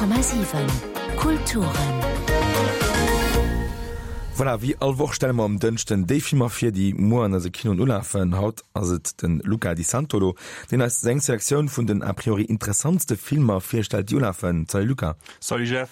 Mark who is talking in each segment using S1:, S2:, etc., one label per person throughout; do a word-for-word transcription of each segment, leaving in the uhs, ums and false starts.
S1: Honnert Komma siwen Kulturen.
S2: Voilà, wéi all Woch stelle mer um Dënschden déi Filmer vir, déi muer an eise Kinoen ulafen. Haut ass et de Luca Di Santolo, deen eis seng Selektioun vun den a priori interessantste Filmer virstellt, déi ulafen. Salut Luca.
S3: Salut Jeff.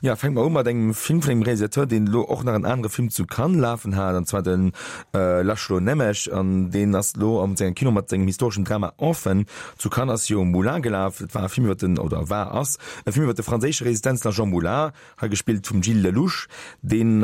S2: Ja, fänke mer u mat engem Film vun engem Realisateur, deen elo och nach en anere Film zu Cannes lafen hat, an zwar de László Nemes, an deen ass elo am sengem Kino mat sengem historeschen Drama Orphan. Zu Cannes ass jo Moulin gelaf, dat war e Film iwwer den, oder war, ass e Film iwwer de franséische Resistenzler Jean Moulin, hei gespillt vum Gilles Lellouche, deen,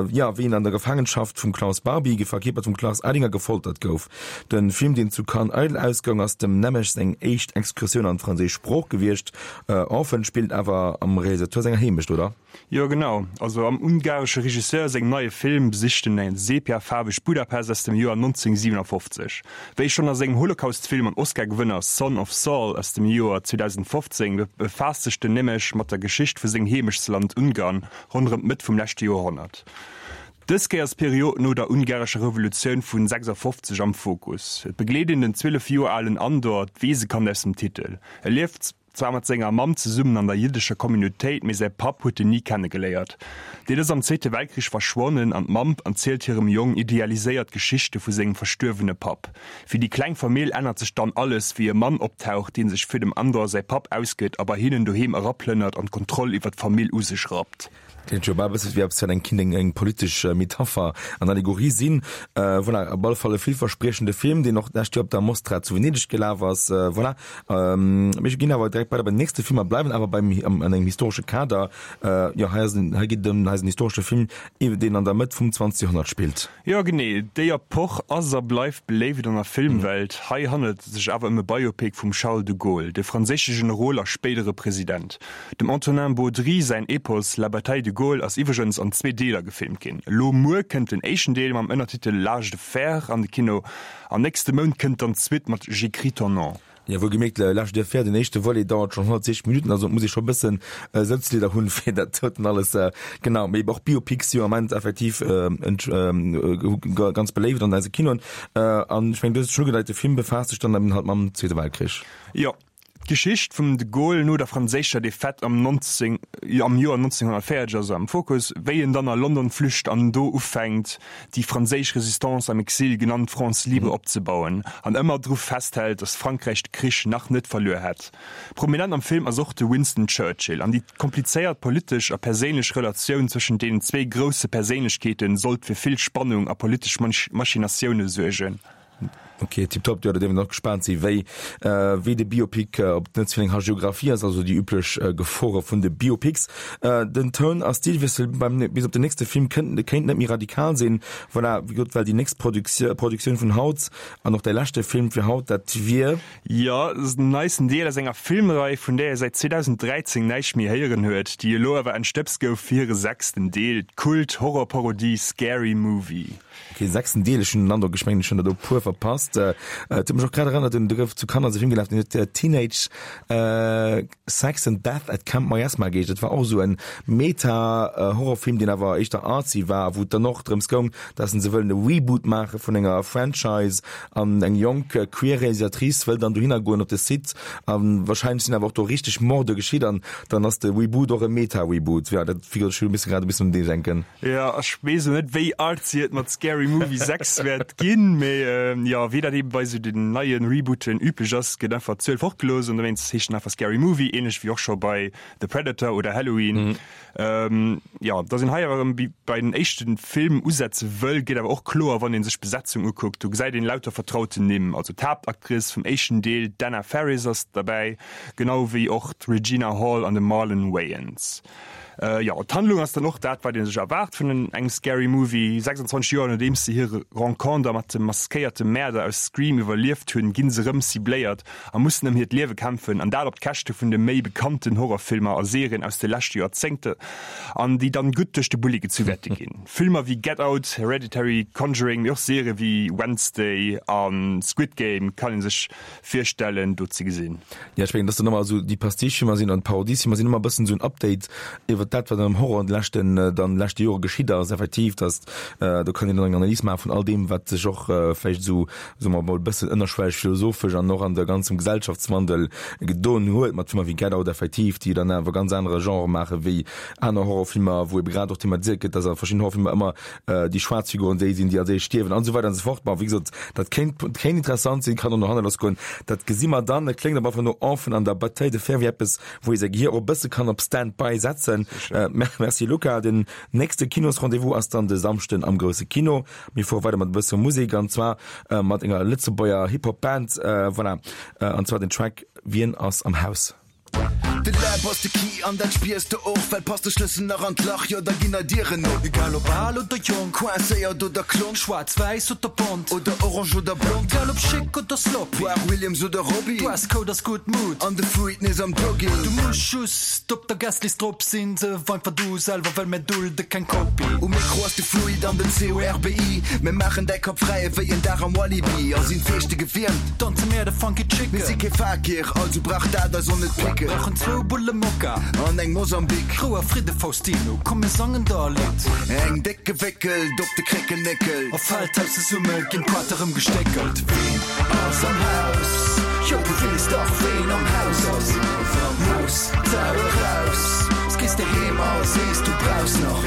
S2: jo, wéi en an der Gefaangenschaft vum Klaus Barbie, verkierpert vum Klaus Eidinger, gefoltert gouf. De Film, deen zu Cannes eidel ausgoung, ass dem Nemes seng éischt Excursioun an d'franséisch Sprooch gewiescht. Orphan spillt awer am Realisateur senger Heemecht, oder?
S3: Jo, genau. Also am ungaresche Regisseur sengem neie Film besicht en eng sepiafaarweg Budapest aus dem Joer nonzénhunnertsiwenafofzeg. Wéi schonn a sengem Holocaust-Film an Oscar-Gewënner Son of Saul aus dem Joer zweedausendfofzéng befaasst sech den Nemes mat der Geschicht vu sengem Heemechtsland Ungarn ronderëm d'Mëtt vum leschte Joerhonnert. Dës Kéier ass d'Period no der ungarescher Revolutioun vun sechsafofzeg am Fokus. Et begleet een den zwielef Joer alen Andor, d'Weesekand aus dem Titel. E lieft zwar mat senger Mamm zesummen an der jiddescher Communautéit, mee säi Papp huet en ni kennegeléiert. Deen ass am Zweete Weltkrich verschwonnen an d'Mamm erzielt hirem Jong idealiséiert Geschichte vu sengem verstuerwene Papp. Fir déi kleng Famill ännert sech dann alles, wéi e Mann optaucht, dee sech fir dem Andor säi Papp ausgëtt a bei hinnen doheem eraplënnert an d'Kontroll iwwer d'Famill u sech rappt.
S2: Kléngt jo bal e bësse wéi eppes wat eng kinnt eng politesch Metapher an Allegorie sinn. Voilà, op alle Fall e villverspriechende Film, deen och d'lescht Joer op der Mostra zu Venedeg gelaf ass. Voilà, mir ginn awer direkt weider beim nächste Film a bleiwen awer beim an engem historesche Kader. Jo, hei ass en, hei geet et ëm, hei ass en historesche Film, deen an der Mëtt vum zwanzegste Joerhonnert spillt.
S3: Jo, genee, déi Epoch ass a bleift beléift an der Filmwelt. Hei handelt et sech awer ëm e Biopic vum Charles de Gaulle, de franséische Generol a spéidere President. Dem Antonin Baudry säin Epos La bataille de Gaulle ass iwwregens an zwee Deeler gefilmt ginn. Elo muer kënnt den éischten Deel mam Ënnertitel L'âge de fer an de Kino an nächste Mount kënnt dann d'Suite mat J'écris ton nom.
S2: Jo, wuel gemierkt, L'âge de fer, den éischte Volet dauert schonn honnertsiechzeg Minutten, also et muss ee scho bëssen Sëtzleeder hunn, fir dat doten alles, genau. Mee och Biopics si jo am Ament effektiv ganz beléift an eise Kinoen. An ech mengen, du hues et schonn ugedeit, de Film befaasst sech dann eben halt mam Zweete Weltkrich.
S3: Jo, D'Geschicht vum de Gaulle no der franséischer Defaite am neunzéng am Joer nonzénhunnertvéierzeg ass am Fokus, wéi en dann a London flücht an do ufänkt, déi franséisch Resistance am Exil, genannt France libre, opzebauen an ëmmer dru festhält, datt Frankräich de Krich nach net verluer hätt. Prominent am Film ass och de Winston Churchill an déi komplizéiert politesch a perséinlech Relatioun zwëschent deenen zwee grousse Perséinlechkeete sollt fir vill Spannung a politesch Machinatioune suergen.
S2: Ok, tiptop. Jo, da dierf een och gespaant si wéi wéi de Biopic, ob et net ze vill eng Hagiographie ass, also déi üblech Gefore vun de Biopics. Den Toun a Stilwiessel beim bis op den nächste Film kënnt kéint net méi radikal sinn. Voilà, wéi gesot, well déi nächst Produktioun vun haut an och däi leschte Film fir haut, dat wier.
S3: Jo, et ass den neisten Deel aus enger Filmrei, vun där ee säit zweedausenddräizéng näischt méi héieren huet, déi elo awer entstëbst gouf fir hire sechsten Deel, d'Kult-Horrorparodie Scary Movie.
S2: Ok, sechsten Deel, ech hunn den Androck, ech mengen ech hunn der do e puer verpasst. Et huet mech och grad erënnert un, do gouf zu Kanner ass e Film gelaf, deen huet Teenage Sex and Death at Camp Miasma geheescht. Dat war och esou en Meta-Horrorfilm, deen awer éischter artsy war, wou et dann och drëms goung, dass se wëllen e Reboot maache vun enger Franchise an eng jonk queer Realisatrice wëll dann dohinner goen op de Site a wahrscheinlech sinn awer och do richteg Morde geschitt an dann ass de Reboot och e Meta-Reboot. Jo, dat, wéi gesot, ech hu e bësse grad e bëssen un dee denken.
S3: Jo, ech weess elo net wéi artsy et mat Scary Movie sechs wäert ginn, mee jo, wéi dat eben bei esou den neien Rebooten üblech ass, gëtt einfach d'Zuel fortgelooss an dowéinst heescht en einfach Scary Movie, ähnlech wéi och scho bei The Predator oder Halloween. Jo, dass een hei awer erëm wéi bei den éischte Film usetze wëll, gëtt awer och kloer, wann ee sech d'Besetzung ukuckt. Do gesäit een lauter vertrauten Nimm, also d'Haaptactrice vum éischten Deel, d'Anna Faris ass derbäi, genau wéi och d'Regina Hall an de Marlon Wayans. Jo, d'Handlung ass dann och dat, wat ee sech erwaart vun engem Scary Movie. sechsundzwanzeg Joer nodeems se hir Renconter mat dem maskéierte Mäerder aus Scream iwwerlieft hunn, ginn se rëm cibléiert a mussen ëm hiert Liewe kämpfen, an dat op d'Käschte vun de méi bekannten Horrorfilmer a Serien aus de leschte Joerzéngte an déi dann gutt duerch de Bulli gezu wäerte ginn. Filmer wéi Get Out, Hereditary, Conjuring, mee och Serie wéi Wednesday a Squid Game kann ee sech virstellen, do ze gesinn.
S2: Jo, ech mengen, dass dann ëmmer esou déi Pastiche-Filmer sinn an d'Parodiesfilmer sinn ëmmer e bëssen esou en Update iwwer iwwer dat, wat am Horror an de leschten, dann leschte Jore geschitt ass, effektiv, dass do kann een dann eng Analys maache vun all deem, wat sech och vläicht esou, soe mer emol, e bëssen ënnerschwelleg philosophesch an och an der ganzem Gesellschaftswandel gedoen huet, mat Filmer wéi Get Out effektiv, déi dann awer ganz anere Genre maache wéi aner Horrorfilmer, wou ebe grad och thematiséiert gëtt, dass a verschiddenen Horrorfilmer ëmmer déi schwaarz Figuren déi sinn, déi als éischt stierwen an esou weider an esou fort. Bon, wéi gesot, dat kéint, kéint interessant sinn, kann och no hanne lassgoen, dat gesi mer dann. Et kléngt op alle Fall no Orphan an der Bataille de Fer wéi eppes, wou ee säi Gehir och e bësse kann op Stand-by setzen. Merci Luca. Den nächste Kinosrendez-vous ass dann de Samschden am grousse Kino. Mir fuere weider mat e bësse Musek an zwar mat enger Lëtzebuerger Hip-Hop-Band, voilà, an zwar den Track Wien ass am Haus.
S4: De Läb ass de Key an dat spiers de och, well passt de Schlëssel nach an d'Lach, jo da ginn nei Dieren op.
S5: Egal ob al oder jonk,
S4: Coincéiert oder klonk,
S5: schwaarz, wäiss oder bont,
S4: oder orange oder blond,
S5: egal ob chic oder sloppy,
S4: Poire Williams oder Robbie,
S5: Dresscode ass gutt Mood
S4: an de Fluid nees am Jogging.
S5: Du muss just op der Guestlist drop sinn, sëf einfach du selwer, well mir dulde keng Kopie.
S4: Um Mikro ass de Fluid an den C O R B I, mir maachen däi Kapp fräi ewéi en Dag am Walibi a sinn d'Feeschte gewiermt.
S5: Danze mir de Funky Chicken.
S4: Mir si kee Fakir, also brauch dat eis och net picken.
S5: Brauchen zwou Bulle Mokka.
S4: An eng Mosambik.
S5: Rou a Fridde Faustino, komm mir sangen der e Lidd.
S4: Eng déck gewéckelt op de Kréckelnéckel.
S5: A Feldhaus zesumme ginn d'Quater rëm gestéckelt. Ween ass am Haus? Jo du weess dach ween am Haus ass. Looss d'Sau eraus, s gees de heem a sees du brauchs nach.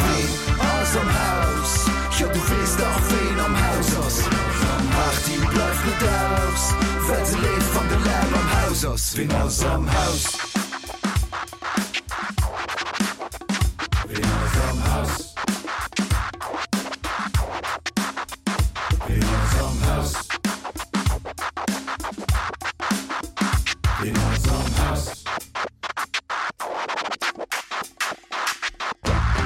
S4: Ween ass am Haus? Jo du weess dach ween am Haus ass. D'Party bleift net aus, well se leeft wann de Läb am Haus ass. Ween ass am Haus? Ween ass am Haus? Ween ass am Haus? Ween ass am Haus?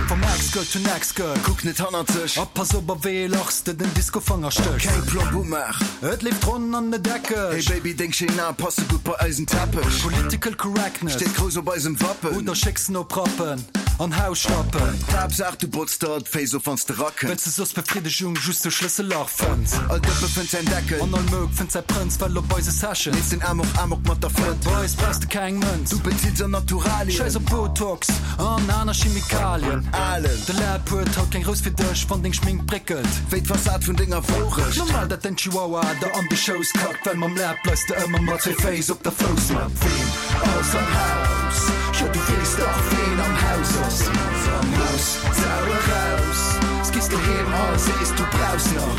S5: From ex-girl to next girl.
S4: Kuck net hannert sech.
S5: A pass op a wéi ee Lach s de den Discofanger stéchs.
S4: Keng Plomb umaach.
S5: Et leeft ronn an net eckeg.
S4: Hey Baby, deng schéin Ae passe gutt bei eisen Teppech.
S5: Political correctness.
S4: Steet grouss op eisem Wappen.
S5: Oder schécks en op Rappen an Haus schnappen.
S4: D'Haaptsaach du botz der d'Féiss of wanns de rakënns.
S5: Well s de soss Befriddegung just duerch Schlëssellach fënns.
S4: All Dëppe fënnt säin Deckel.
S5: An all Mouk fënnt säi Prënz. Well op eise Sessions.
S4: Leeft den Amok Amok mat der Flënt.
S5: Bei eis brauchs de keng Mënz.
S4: Du bezills an Naturalien.
S5: Schäiss op Botox an aner Chemikalien.
S4: Alen.
S5: De Läb huet haut keng Rous fir dech, wann deng Schmink bréckelt.
S4: Wéi d'Fassad vun denger Wourecht.
S5: Normal dat den Chihuahua der an de Schouss kackt, well mam Läb bleifs de ëmmer mat zwee Féiss op der Foussmatt.
S4: Ween ass am Haus? Jo du weess dach ween am Haus ass. Looss d'Sau eraus, s gees doheem a sees du brauchs nach.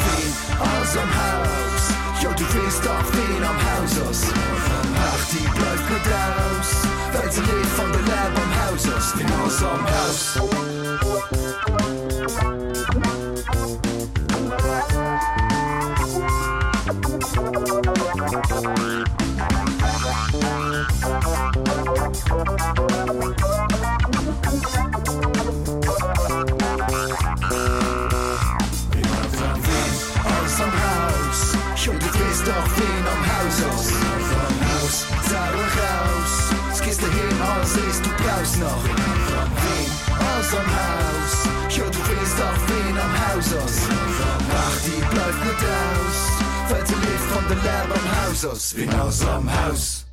S4: Ween ass am Haus? Jo du weess dach ween am Haus ass. D'Party bleift net aus, well se leeft wann de Läb am Haus ass. Ween ass am Haus? Ween ass am Haus? Jo du weess dach ween am Haus ass. Looss d'Sau eraus, s gees doheem a sees du brauchs nach. Ween ass am Haus? Jo du weess dach ween am Haus ass. D'Party bleift net aus, well se leeft wann de Läb am Haus ass. Ween ass am Haus?